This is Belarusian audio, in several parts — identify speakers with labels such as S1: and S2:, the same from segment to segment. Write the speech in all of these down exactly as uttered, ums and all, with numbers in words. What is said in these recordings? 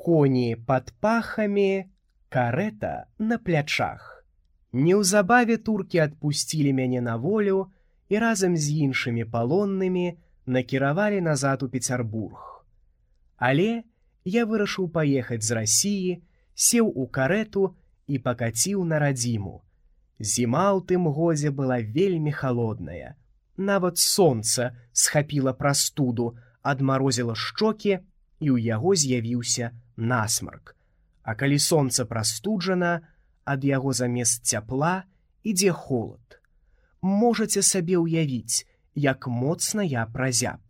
S1: Коні пад пахамі, карэта на плячах. Неўзабаве туркі адпусцілі мяне на волю і разам з іншымі палоннымі накіравалі назад у Пецярбург. Але я вырашыў паехаць з Расіі, сеў у карэту і пакаціў на радзіму. Зіма ў тым годзе была вельмі халодная. Нават сонца схапіла прастуду, адмарозіла шчокі, і ў яго з'явіўся насмарк. А калі сонца прастуджана, ад яго замест цяпла ідзе холад. Можаце сабе ўявіць, як моцна я празяб.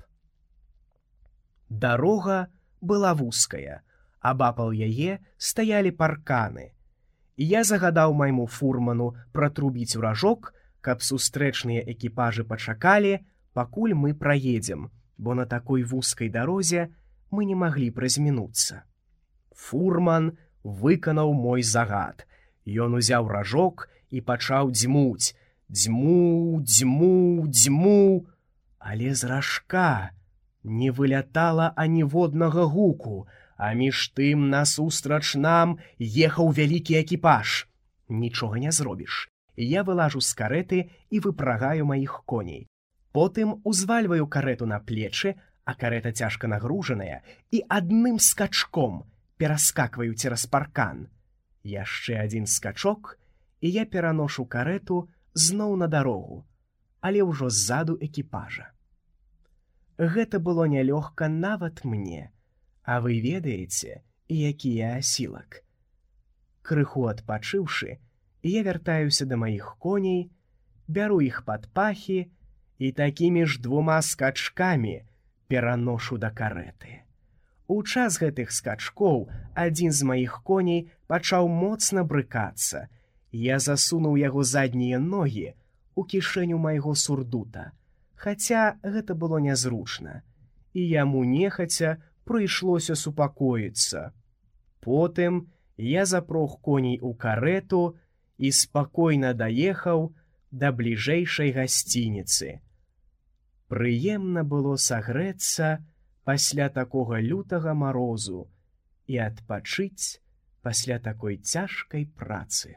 S1: Дарога была вузкая, абапал яе стаялі парканы. Я загадаў майму фурману пратрубіць у ражок, каб сустрэчныя экіпажы пачакалі, пакуль мы праедзем, бо на такой вузкай дарозе мы не маглі празмінуцца. Фурман выканаў мой загад. Ён узяў ражок і пачаў дзьмуць. Дзьму, дзьму, дзьму. Але з ражка не вылятала аніводнага гуку, а між тым насустрач нам ехаў вялікі экіпаж. Нічога не зробіш. Я вылажу з карэты і выпрагаю маіх коней. Потым узвальваю карэту на плечы, а карэта цяжка нагружаная, і адным скачком пераскакваю цераз паркан. Яшчэ адзін скачок, і я пераношу карэту зноў на дарогу, але ўжо ззаду экіпажа. Гэта было нялёгка нават мне, а вы ведаеце, які я асілак. Крыху адпачыўшы, я вяртаюся да маіх коней, бяру іх пад пахі і такімі ж двума скачкамі пераношу да карэты. У час гэтых скачкоў адзін з маіх коней пачаў моцна брыкацца. Я засунуў яго заднія ногі у кішэню майго сурдута, хаця гэта было нязручна, і яму нехаця прыйшлося супакоіцца. Потым я запрог коней у карэту і спакойна даехаў да бліжэйшай гасцініцы. Прыемна было сагрэцца пасля такога лютага марозу і адпачыць пасля такой цяжкай працы.